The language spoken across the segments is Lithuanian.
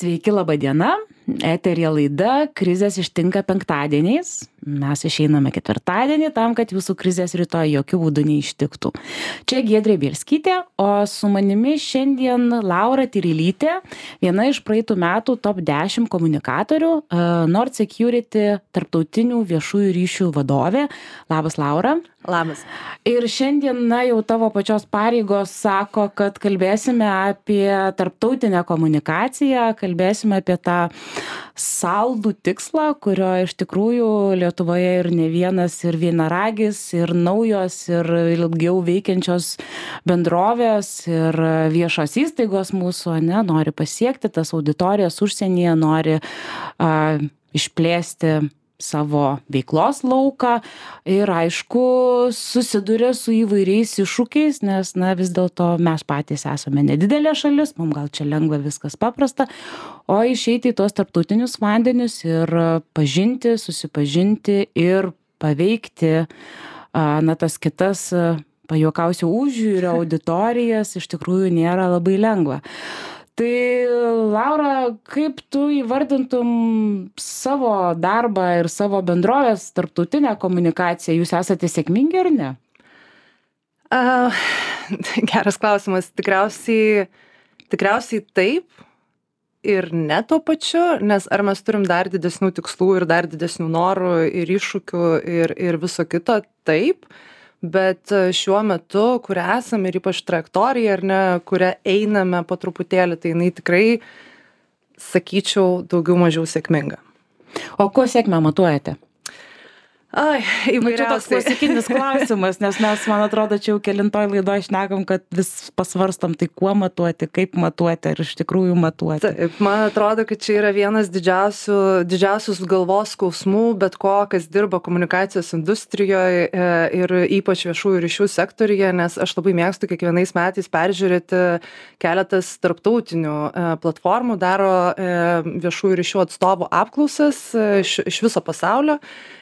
Sveiki, laba diena. Eterija laida Krizės ištinka penktadieniais. Mes išeiname ketvirtadienį tam, kad jūsų krizės rytoj jokių būdų neištiktų. Čia Giedrė Bielskytė, o su manimi šiandien Laura Tyrylytė, viena iš praeitų metų top 10 komunikatorių, Nord Security tarptautinių viešųjų ryšių vadovė. Labas, Laura. Labas. Ir šiandien, jau tavo pačios pareigos sako, kad kalbėsime apie tarptautinę komunikaciją, kalbėsime apie tą saldų tikslą, kurio iš tikrųjų Lietuvoje ir ne vienas, ir vienaragis, ir naujos, ir ilgiau veikiančios bendrovės, ir viešos įstaigos mūsų, nori pasiekti tas auditorijas užsienyje, nori išplėsti savo veiklos lauką ir aišku susiduria su įvairiais iššūkiais, nes vis dėlto mes patys esame nedidelė šalis, mums gal čia lengva viskas paprasta, o išeiti į tos tarptautinius vandenius ir pažinti, susipažinti ir paveikti tas kitas, pajuokausiu, užjūrio auditorijas iš tikrųjų nėra labai lengva. Tai Laura, kaip tu įvardintum savo darbą ir savo bendrovės tarptautinę komunikaciją? Jūs esate sėkmingi ar ne? Geras klausimas. Tikriausiai taip ir ne tuo pačiu, nes ar mes turim dar didesnių tikslų ir dar didesnių norų ir iššūkių ir viso kito? Taip. Bet šiuo metu, kur esame ir ypač trajektorija, ar ne, kurią einame po truputėlį, tai jinai tikrai, sakyčiau, daugiau mažiau sėkminga. O kuo sėkmę matuojate? Įvairiausiai. Čia toks klasikinis klausimas, nes mes, man atrodo, čia jau kelintoj laidoj šnekam, kad vis pasvarstam, tai kuo matuoti, kaip matuoti, ar iš tikrųjų matuoti. Taip, man atrodo, kad čia yra vienas didžiausius galvos skausmų, bet ko, kas dirba komunikacijos industrijoje ir ypač viešųjų ryšių sektoriuje, nes aš labai mėgstu kiekvienais metais peržiūrėti keletas tarptautinių platformų, daro viešųjų ryšių atstovų apklausas iš viso pasaulio.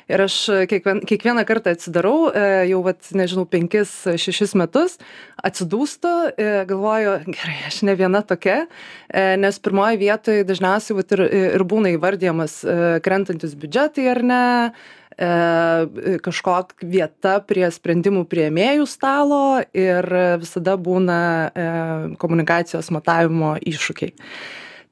Ir aš kiekvieną kartą atsidarau, jau 5-6 metus, atsidūstu, galvoju, gerai, aš ne viena tokia, nes pirmoje vietoje dažniausiai ir būna įvardyjamas krentantis biudžetai ar ne, kažkokia vieta prie sprendimų priėmėjų stalo ir visada būna komunikacijos matavimo iššūkiai.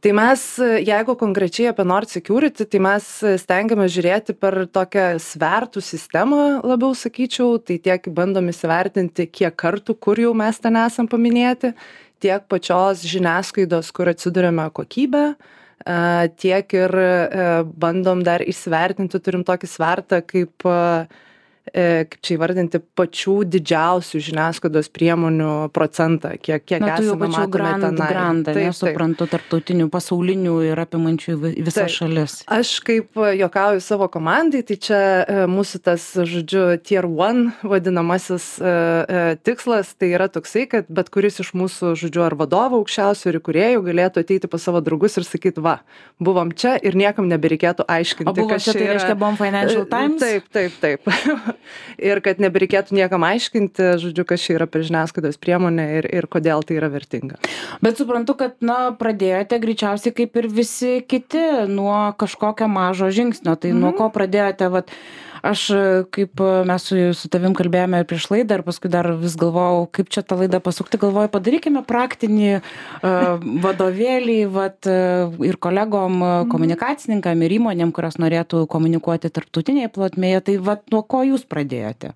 Tai mes, jeigu konkrečiai apie Nord Security, tai mes stengiame žiūrėti per tokią svertų sistemą, labiau sakyčiau, tai tiek bandom įsivertinti, kiek kartų, kur jau mes ten esam paminėti, tiek pačios žiniasklaidos, kur atsiduriame kokybę, tiek ir bandom dar įsivertinti, turim tokį svertą, kaip čia įvardinti pačių didžiausių žiniasklaidos priemonių procentą, kiek esame matome tenai. Grandą, nesuprantu, tarptautinių, pasaulinių ir apimančių visas šalis. Aš kaip juokauju savo komandai, tai čia mūsų tas, tier 1 vadinamasis tikslas, tai yra toksai, kad bet kuris iš mūsų, ar vadovų aukščiausių ir įkūrėjų galėtų ateiti pas savo draugus ir sakyti, buvom čia ir niekam nebereikėtų aiškinti. O buvo čia, tai reiškia, buvom Financial Times? Taip. Ir kad nebereikėtų niekam aiškinti, kas čia yra per žiniasklaidos priemonė ir kodėl tai yra vertinga. Bet suprantu, kad, pradėjote greičiausiai kaip ir visi kiti nuo kažkokio mažo žingsnio. Tai nuo ko pradėjote, aš kaip mes su tavim kalbėjome prieš laidą ir paskui dar vis galvojau, kaip čia tą laidą pasukti, galvoju, padarykime praktinį vadovėlį ir kolegom, komunikacininkam ir įmonėm, kurios norėtų komunikuoti tarptautinėje plotmėje. Tai nuo ko jūs pradėjote?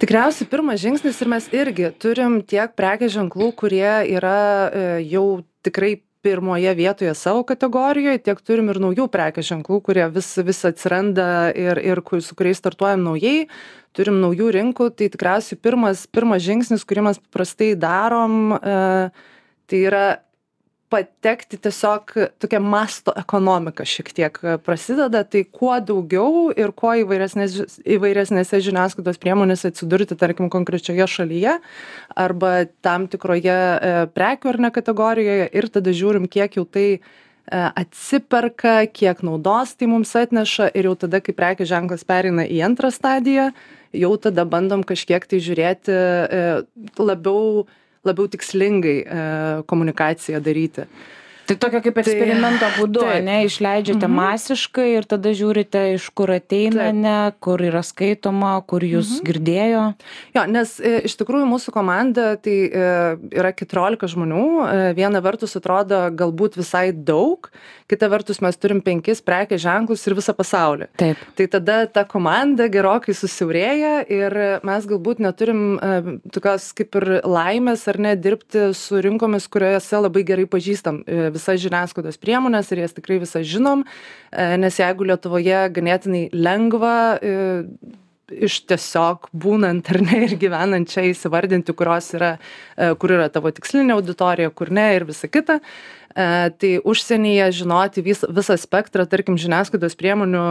Tikriausiai pirmas žingsnis ir mes irgi turim tiek prekės ženklų, kurie yra jau tikrai pirmoje vietoje savo kategorijoje, tiek turim ir naujų prekės ženklų, kurie vis atsiranda ir su kuriais startuojam naujai, turim naujų rinkų, tai tikriausiai pirmas žingsnis, kurį mes paprastai darom, tai yra patekti tiesiog tokia masto ekonomika šiek tiek prasideda, tai kuo daugiau ir kuo įvairesnėse žiniasklaidos priemonėse atsidurti, tarkim, konkrečioje šalyje arba tam tikroje prekių ar ne kategorijoje ir tada žiūrim, kiek jau tai atsiperka, kiek naudos tai mums atneša ir jau tada, kai prekės ženklas pereina į antrą stadiją, jau tada bandom kažkiek tai žiūrėti labiau tikslingai komunikaciją daryti. Tai tokia kaip eksperimento būdu, taip. ne, išleidžiate masiškai ir tada žiūrite, iš kur ateina, ne, kur yra skaitoma, kur jūs girdėjo. Jo, nes iš tikrųjų mūsų komanda tai yra 14 žmonių. Viena vertus atrodo galbūt visai daug, kita vertus mes turim 5 prekės ženklus ir visą pasaulį. Taip. Tai tada ta komanda gerokai susiaurėja ir mes galbūt neturim tokios kaip ir laimės ar ne dirbti su rinkomis, kuriuose labai gerai pažįstam visas žiniasklaidos priemonės ir jas tikrai visas žinom, nes jeigu Lietuvoje ganėtinai lengva iš tiesiog būnant ar ne ir gyvenant čia įsivardinti, kur yra tavo tikslinė auditorija, kur ne ir visa kita, tai užsienyje žinoti visą spektrą, tarkim, žiniasklaidos priemonių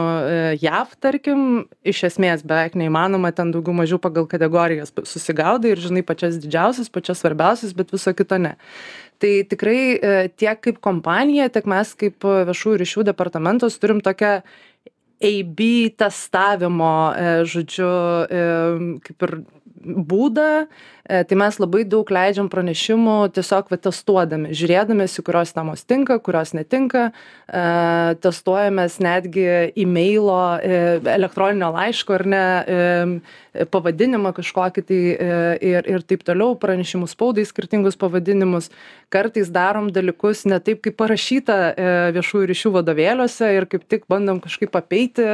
JAV, tarkim, iš esmės beveik neįmanoma, ten daugiau mažiau pagal kategorijas susigaudai ir žinai pačias didžiausias, pačias svarbiausias, bet viso kito ne. Tai tikrai tiek kaip kompanija, tiek mes kaip viešųjų ryšių departamentas turim tokią AB testavimo, žodžiu, kaip ir būdą, tai mes labai daug leidžiam pranešimų tiesiog testuodami, žiūrėdamės, kurios temos tinka, kurios netinka, testuojamės netgi e-mailo, elektroninio laiško ar ne, pavadinimą kažkokį tai ir taip toliau, pranešimų spaudai skirtingus pavadinimus. Kartais darom dalykus ne taip, kaip parašyta viešųjų ryšių vadovėliuose ir kaip tik bandom kažkaip apeiti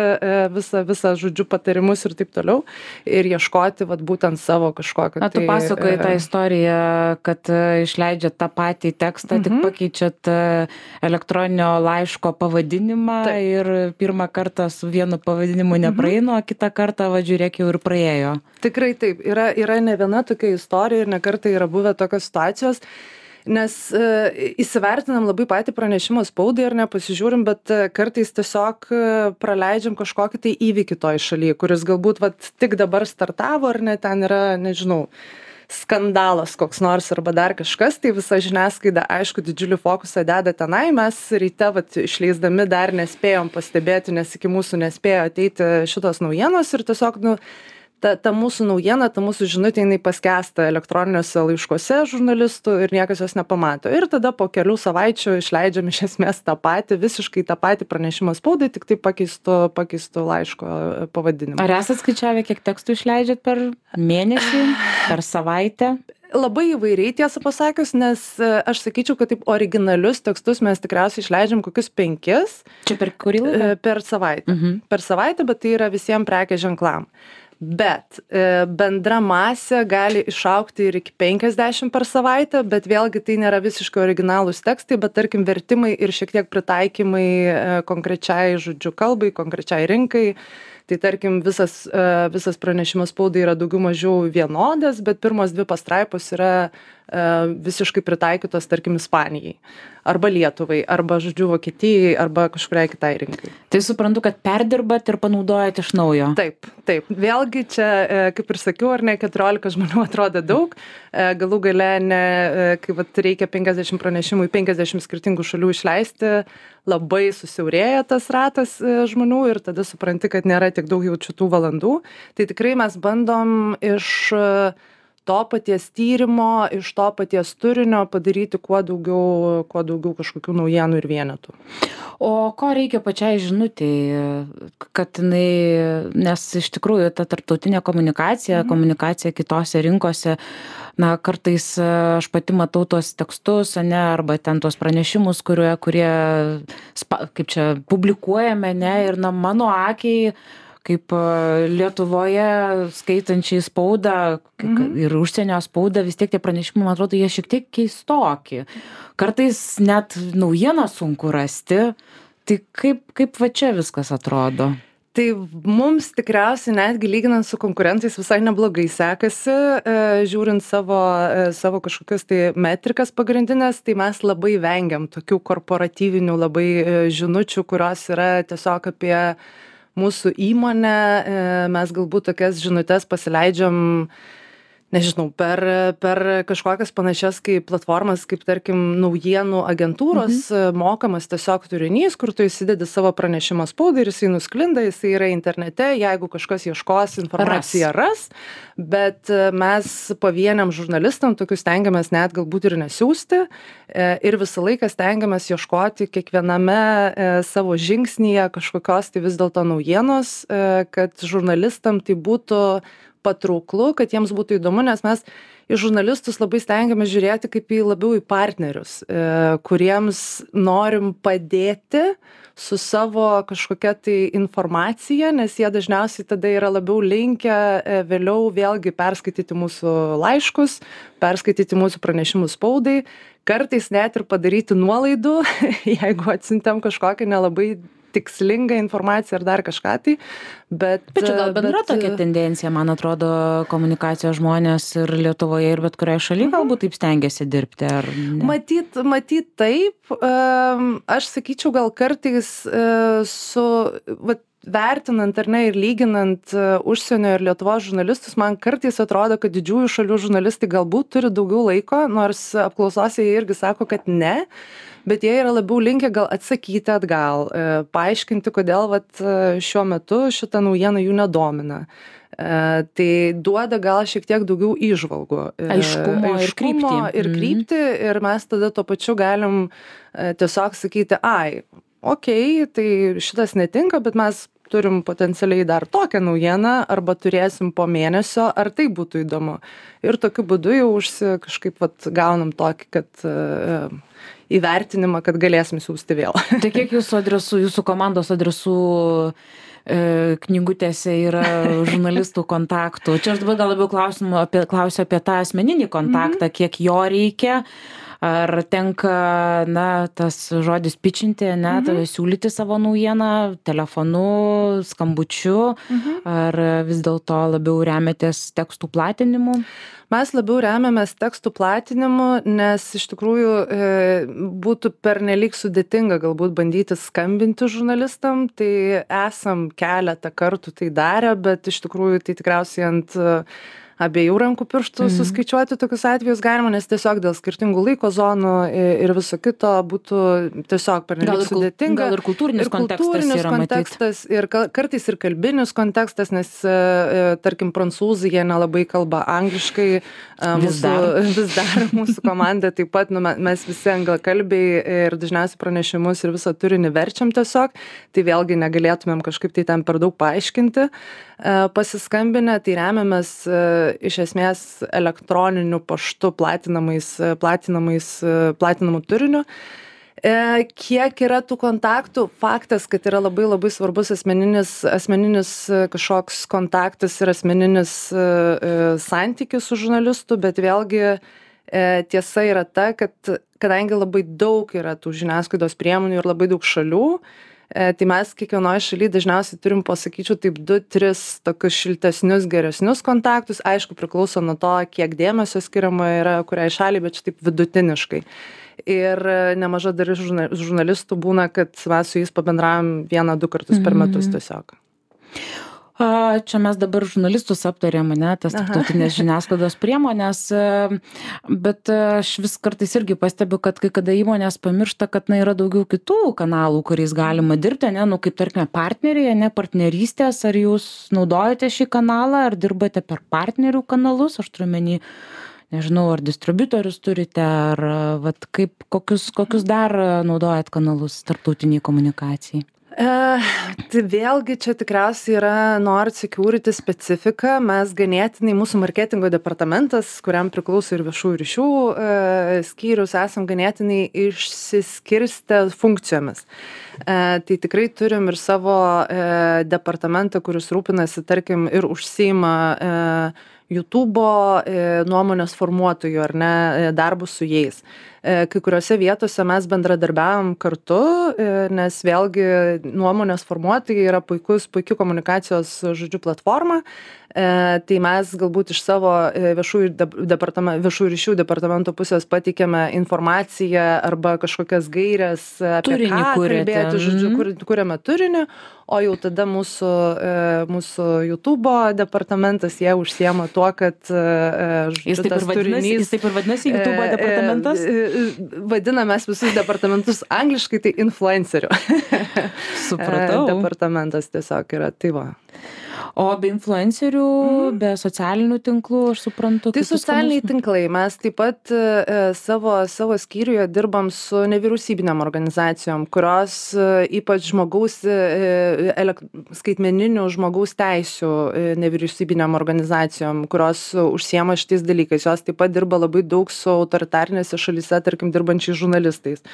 visą žodžiu patarimus ir taip toliau ir ieškoti būtent savo kažkokio. Tu pasakoji tą istoriją, kad išleidžiat tą patį tekstą, tik pakeičiat elektroninio laiško pavadinimą ir pirmą kartą su vienu pavadinimu nepraeina, o kitą kartą, žiūrėk, jau ir praėjo. Tikrai taip. Yra ne viena tokia istorija ir ne kartą yra buvę tokios situacijos, nes įsivertinam labai patį pranešimą spaudai ir nepasižiūrim, bet kartais tiesiog praleidžiam kažkokį tai įvykį toj šalyje, kuris galbūt tik dabar startavo ar ne, ten yra, nežinau, skandalas koks nors arba dar kažkas, tai visa žiniasklaida, aišku, didžiulį fokusą deda tenai, mes ryte išleisdami dar nespėjom pastebėti, nes iki mūsų nespėjo ateiti šitos naujienos ir tiesiog, ta mūsų naujiena, ta mūsų žinutė, jinai paskęsta elektroniniuose laiškuose žurnalistų ir niekas jos nepamato. Ir tada po kelių savaičių išleidžiam iš esmės visiškai tą patį pranešimą spaudai, tik tai pakeistų laiško pavadinimą. Ar esat skaičiavę, kiek tekstų išleidžiat per mėnesį, per savaitę? Labai įvairiai, tiesą pasakius, nes aš sakyčiau, kad taip originalius tekstus mes tikriausiai išleidžiam kokius 5. Čia per kurį laiką? Per savaitę. Per savaitę, bet tai yra visiems prekės ženklam. Bet bendra masė gali išaugti ir iki 50 per savaitę, bet vėlgi tai nėra visiškai originalūs tekstai, bet tarkim vertimai ir šiek tiek pritaikymai konkrečiai žodžiu kalbai, konkrečiai rinkai. Tai tarkim visas pranešimas spaudai yra daugiau mažiau vienodas, bet pirmos 2 pastraipos yra visiškai pritaikytos, tarkim, Ispanijai, arba Lietuvai, arba, žodžiu, Vokietijai, arba kažkuriai kitai rinkai. Tai suprantu, kad perdirbat ir panaudojat iš naujo. Taip. Vėlgi čia, kaip ir sakiau, ar ne, 14 žmonių atrodo daug, galų gale, kai reikia 50 pranešimų į 50 skirtingų šalių išleisti, labai susiaurėja tas ratas žmonių ir tada supranti, kad nėra tiek daug jau šitų valandų. Tai tikrai mes bandom iš to paties tyrimo, iš to paties turinio padaryti kuo daugiau kažkokių naujienų ir vienetų. O ko reikia pačiai žinutei, kad jinai, nes iš tikrųjų ta tarptautinė komunikacija kitose rinkose, kartais aš pati matau tuos tekstus, arba ten tuos pranešimus, kurie kaip čia publikuojame, ir mano akiai, kaip Lietuvoje skaitančiai spaudą ir užsienio spaudą, vis tiek tie pranešimai, man atrodo, jie šiek tiek keistoki. Kartais net naujieną sunku rasti. Tai kaip čia viskas atrodo? Tai mums tikriausiai netgi lyginant su konkurentais visai neblogai sekasi, žiūrint savo kažkokias tai metrikas pagrindinės, tai mes labai vengiam tokių korporatyvinių labai žinučių, kurios yra tiesiog apie mūsų įmonę, mes galbūt tokias žinutes pasileidžiam, nežinau, per kažkokias panašias kaip platformas, kaip tarkim naujienų agentūros mokamas tiesiog turinys, kur tu įsidedi savo pranešimą spaudai ir jisai nusklinda, jisai yra internete, jeigu kažkas ieškos informaciją ras, bet mes pavieniam žurnalistam tokius stengiamės net galbūt ir nesiųsti ir visą laiką stengiamės ieškoti kiekviename savo žingsnyje kažkokios tai vis dėlto naujienos, kad žurnalistam tai būtų patrauklu, kad jiems būtų įdomu, nes mes į žurnalistus labai stengiamės žiūrėti kaip labiau į partnerius, kuriems norim padėti su savo kažkokia tai informacija, nes jie dažniausiai tada yra labiau linkę vėliau vėlgi perskaityti mūsų laiškus, perskaityti mūsų pranešimus spaudai, kartais net ir padaryti nuolaidų, jeigu atsiuntėm kažkokią nelabai tikslingą informaciją ar dar kažką tai, bet čia gal bendra tokia tendencija, man atrodo, komunikacijos žmonės ir Lietuvoje, ir bet kurioje šalyje galbūt taip stengiasi dirbti, ar ne? Matyt taip, aš sakyčiau gal kartais vertinant ar ne ir lyginant užsienio ir Lietuvos žurnalistus, man kartais atrodo, kad didžiųjų šalių žurnalistai galbūt turi daugiau laiko, nors apklausose jie irgi sako, kad ne, bet jie yra labiau linkę gal atsakyti atgal, paaiškinti, kodėl šiuo metu šitą naujieną jų nedomina. Tai duoda gal šiek tiek daugiau įžvalgų. Aiškumo ir kryptį. Ir mes tada tuo pačiu galim tiesiog sakyti, okei, tai šitas netinka, bet mes turim potencialiai dar tokią naujieną, arba turėsim po mėnesio, ar tai būtų įdomu. Ir tokiu būdu jau kažkaip gaunam tokį, kad įvertinimą, kad galėsim siųsti vėl. Tai kiek jūsų komandos adresų knygutėse yra žurnalistų kontaktų? Čia aš dabar gal labiau klausiu apie tą asmeninį kontaktą, kiek jo reikia, ar tenka, tas žodis pitchinti, siūlyti savo naujieną telefonu, skambučiu, ar vis dėlto labiau remiatės tekstų platinimu? Mes labiau remiamės tekstų platinimu, nes iš tikrųjų būtų pernelyg sudėtinga galbūt bandyti skambinti žurnalistam, tai esam keletą kartų tai darę, bet iš tikrųjų tai tikriausiai ant abiejų rankų pirštų suskaičiuoti tokius atvejus galima, nes tiesiog dėl skirtingų laiko zonų ir viso kito būtų tiesiog pernelyg sudėtinga. Gal ir kultūrinis kontekstas ir kartais ir kalbinis kontekstas, nes tarkim prancūzai jie nelabai kalba angliškai, vis dar mūsų komanda taip pat, mes visi anglakalbiai ir dažniausiai pranešimus ir visą turinį verčiam tiesiog, tai vėlgi negalėtumėm kažkaip tai ten per daug paaiškinti. Pasiskambinę, tai remiamės iš esmės elektroniniu paštu platinamu turiniu. Kiek yra tų kontaktų? Faktas, kad yra labai labai svarbus asmeninis kažkoks kontaktas ir asmeninis santykis su žurnalistu, bet vėlgi tiesa yra ta, kad kadangi labai daug yra tų žiniasklaidos priemonių ir labai daug šalių, tai mes kiekvienoje šalyje dažniausiai turim, pasakyčiau, taip 2-3 tokius šiltesnius, geresnius kontaktus. Aišku, priklauso nuo to, kiek dėmesio skiriama yra kuriai šaliai, bet čia taip vidutiniškai. Ir nemaža dalis žurnalistų būna, kad mes su jais pabendravom 1-2 kartus per metus tiesiog. Čia mes dabar žurnalistus aptarėm, tas tarptautinės žiniasklaidos priemonės, bet aš vis kartais irgi pastebiu, kad kai kada įmonės pamiršta, kad yra daugiau kitų kanalų, kuriais galima dirbti, kaip tarkime partneriai, partnerystės, ar jūs naudojate šį kanalą, ar dirbate per partnerių kanalus, aš turiu omeny, nežinau, ar distributorius turite, ar kokius dar naudojat kanalus tarptautiniai komunikacijai? Tai vėlgi čia tikriausiai yra Nord Security specifika. Mes ganėtinai, mūsų marketingo departamentas, kuriam priklauso ir viešųjų ryšių skyrius, esam ganėtinai išsiskirstę funkcijomis. Tai tikrai turim ir savo departamentą, kuris rūpinasi, tarkim, ir užsiima YouTube'o nuomonės formuotojų, ar ne, darbus su jais. kai kuriuose vietose mes bendradarbiavom kartu, nes vėlgi nuomonės formuotojai yra puiki komunikacijos, žodžiu, platforma. Tai mes galbūt iš savo viešųjų ryšių departamento pusės pateikėme informaciją arba kažkokias gairias apie Turinį ką kuriate. kalbėti, žodžiu, kuriame turinį, o jau tada mūsų YouTube departamentas, jie užsiema tuo, kad Jis taip ir vadinasi YouTube departamentas? Vadiname mes visus departamentus angliškai, tai influencerių. Supratau. Departamentas tiesiog yra, tai va. O be influencerių, be socialinių tinklų, aš suprantu. Tai socialiniai tinklai. Mes taip pat savo skyriuje dirbam su nevyriausybinėm organizacijom, kurios ypač skaitmeninių žmogaus teisių nevyriausybinėm organizacijom, kurios užsiema šitais dalykais. Jos taip pat dirba labai daug su autoritarinėse šalyse, tarkim, dirbančiais žurnalistais.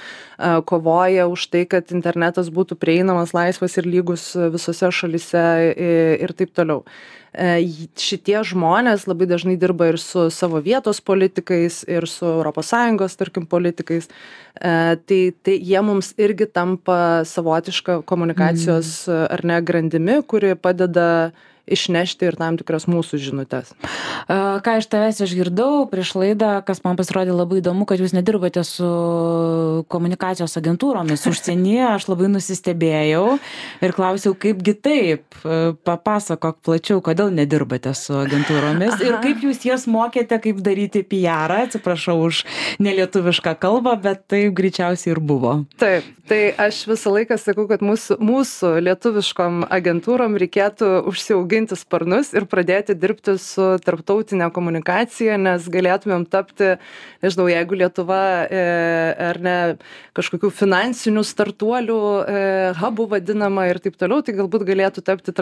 Kovoja už tai, kad internetas būtų prieinamas, laisvas ir lygus visose šalyse ir taip toliau. Šitie žmonės labai dažnai dirba ir su savo vietos politikais, ir su ES, tarkim, politikais. Tai jie mums irgi tampa savotiška komunikacijos ar ne grandimi, kuri padeda išnešti ir tam tikras mūsų žinutes. Ką iš tavęs išgirdau prieš laidą, kas man pasirodė labai įdomu, kad jūs nedirbate su komunikacijos agentūromis užsienyje, aš labai nusistebėjau ir klausiau, kaipgi taip, papasakok plačiau, kodėl nedirbate su agentūromis ir kaip jūs jas mokėte, kaip daryti PR-ą, atsiprašau už nelietuvišką kalbą, bet tai greičiausiai ir buvo. Taip, tai aš visą laiką sakau, kad mūsų lietuviškom agentūrom reikėtų užsiauginti sparnus ir pradėti dirbti su tarptautinė komunikacija, nes galėtumėm tapti, nežinau, jeigu Lietuva ar ne kažkokių finansinių startuolių hubų vadinama ir taip toliau, tai galbūt galėtų tapti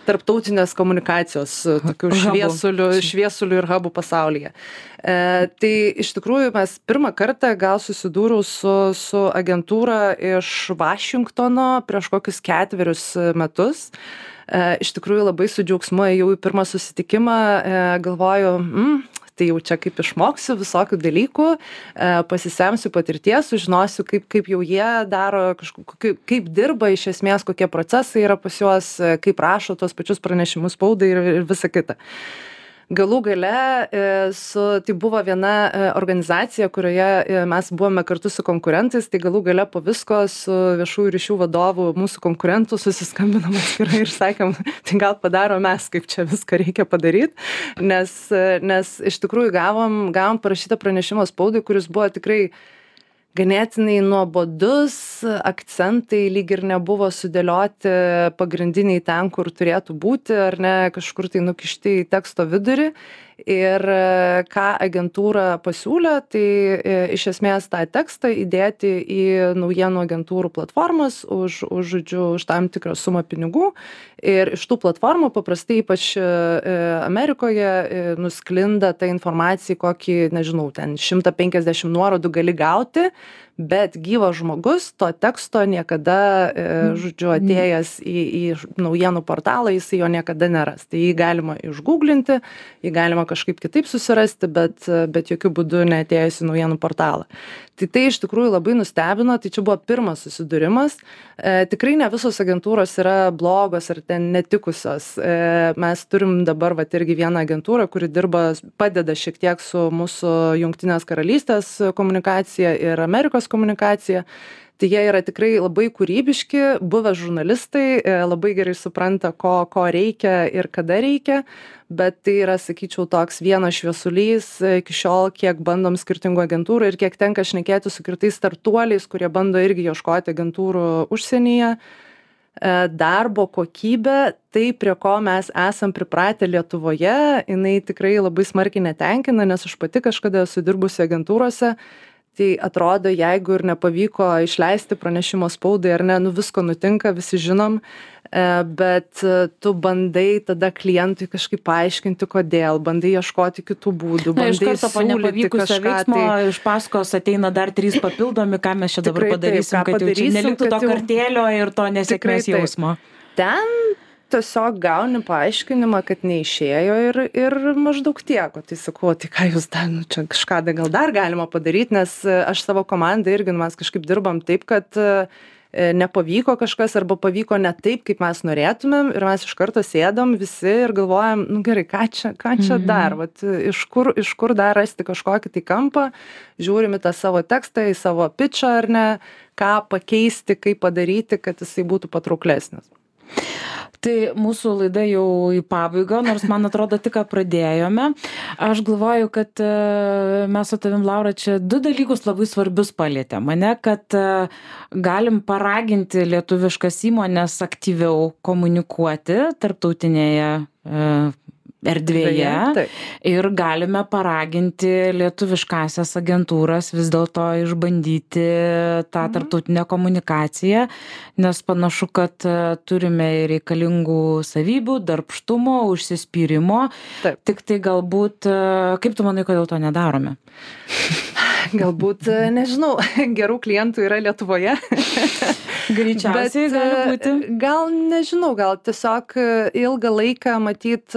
tarptautinės komunikacijos tokių šviesulių ir hubų pasaulyje. Tai iš tikrųjų mes pirmą kartą gal susidūriau su agentūra iš Vašingtono prieš kokius 4 metus. Iš tikrųjų labai su džiaugsmu ėjau į pirmą susitikimą, galvoju, tai jau čia kaip išmoksiu visokių dalykų, pasisemsiu patirties, sužinosiu, kaip jau jie daro, kaip dirba iš esmės, kokie procesai yra pas juos, kaip rašo tos pačius pranešimus spaudai ir visa kita. Galų gale, tai buvo viena organizacija, kurioje mes buvome kartu su konkurentais, tai galų gale po visko su viešųjų ryšių vadovu mūsų konkurentų susiskambinom atskirai ir sakėm, tai gal padarom mes, kaip čia viską reikia padaryti, nes iš tikrųjų gavom parašytą pranešimą spaudai, kuris buvo tikrai ganėtinai nuobodus, akcentai lyg ir nebuvo sudėlioti pagrindiniai ten, kur turėtų būti, ar ne, kažkur tai nukišti į teksto vidurį. Ir ką agentūra pasiūlė, tai iš esmės tą tekstą įdėti į naujienų agentūrų platformas už tam tikrą sumą pinigų. Ir iš tų platformų paprastai, ypač Amerikoje, nusklinda ta informacija, kokį, nežinau, ten 150 nuorodų gali gauti, bet gyvas žmogus to teksto niekada, atėjęs į naujienų portalą, jis jo niekada neras. Tai jį galima išgooglinti, jį galima kažkaip kitaip susirasti, bet jokių būdų neatėjęs į naujienų portalą. Tai iš tikrųjų labai nustebino, tai čia buvo pirmas susidūrimas. Tikrai ne visos agentūros yra blogos ar ten netikusios. Mes turim dabar irgi vieną agentūrą, kuri padeda šiek tiek su mūsų Jungtinės karalystės komunikacija ir Amerikos komunikacija. Tai jie yra tikrai labai kūrybiški, buvę žurnalistai, labai gerai supranta, ko reikia ir kada reikia, bet tai yra, sakyčiau, toks vienas šviesulys iki šiol, kiek bandom skirtingų agentūrų ir kiek tenka šnekėti su kitais startuoliais, kurie bando irgi ieškoti agentūrų užsienyje. Darbo kokybė, tai prie ko mes esam pripratę Lietuvoje, jinai tikrai labai smarkiai netenkina, nes aš pati kažkada esu dirbusi agentūrose. Tai atrodo, jeigu ir nepavyko išleisti pranešimo spaudai, ar ne, visko nutinka, visi žinom, bet tu bandai tada klientui kažkaip paaiškinti, kodėl, bandai ieškoti kitų būdų, bandai iš karto po nepavykusio veiksmo iš paskos ateina dar 3 papildomi, ką mes čia dabar padarysim, kad jau čia neliktų to kartėlio ir to nesėkmės jausmo. Ten tiesiog gauni paaiškinimą, kad neišėjo ir maždaug tiek. O tai sakau, tai ką jūs dar, nu, čia kažką gal dar galima padaryti, nes aš savo komandą irgi, mes kažkaip dirbam taip, kad nepavyko kažkas arba pavyko ne taip, kaip mes norėtumėm ir mes iš karto sėdam visi ir galvojam, nu gerai, ką čia dar, vat, iš kur dar rasti kažkokį tai kampą, žiūrim į tą savo tekstą, į savo pitchą ar ne, ką pakeisti, kaip padaryti, kad jisai būtų patrauklesnis. Tai mūsų laida jau į pabaigą, nors man atrodo tik ką pradėjome. Aš galvoju, kad mes su tavim, Laura, čia 2 dalykus labai svarbius palietėm. Mane, kad galim paraginti lietuviškas įmonės aktyviau komunikuoti tarptautinėje erdvėje ir galime paraginti lietuviškąsias agentūras vis dėlto išbandyti tą tarptautinę komunikaciją, nes panašu, kad turime reikalingų savybių, darbštumo, užsispyrimo. Tik tai galbūt, kaip tu manai, kodėl to nedarome? Galbūt, nežinau, gerų klientų yra Lietuvoje. Greičiausiai gali būti. Gal nežinau, gal tiesiog ilgą laiką matyt,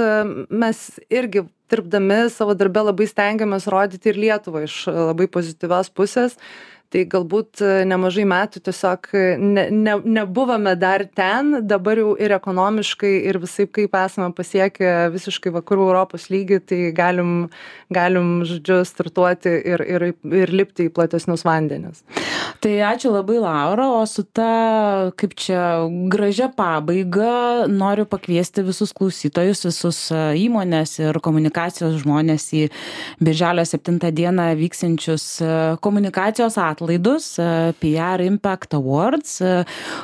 mes irgi dirbdami savo darbe labai stengiamės rodyti ir Lietuvą iš labai pozityvios pusės. Tai galbūt nemažai metų tiesiog nebuvome dar ten, dabar jau ir ekonomiškai ir visaip kaip esame pasiekę visiškai vakarų Europos lygį, tai galim, žodžiu, startuoti ir lipti į platesnius vandenis. Tai ačiū labai, Laura, o su ta, kaip čia, gražia pabaiga noriu pakviesti visus klausytojus, visus įmonės ir komunikacijos žmonės į birželio 7 dieną vyksiančius komunikacijos atlaidus PR Impact Awards,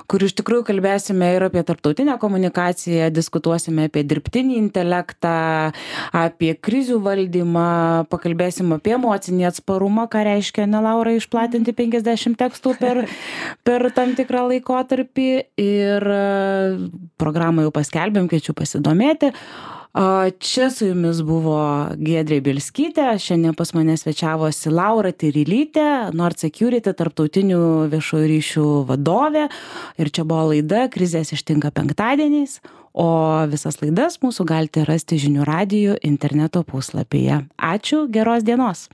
kur iš tikrųjų kalbėsime ir apie tarptautinę komunikaciją, diskutuosime apie dirbtinį intelektą, apie krizių valdymą, pakalbėsim apie emocinį atsparumą, ką reiškia, ne, Laura, išplatinti 50 tekstų per tam tikrą laikotarpį, ir programą jau paskelbėm, kviečiu pasidomėti. Čia su jumis buvo Giedrė Bielskytė, šiandien pas mane svečiavosi Laura Tyrylytė, Nord Security tarptautinių viešųjų ryšių vadovė, ir čia buvo laida Krizės ištinka penktadieniais, o visas laidas mūsų galite rasti Žinių radijo interneto puslapyje. Ačiū, geros dienos.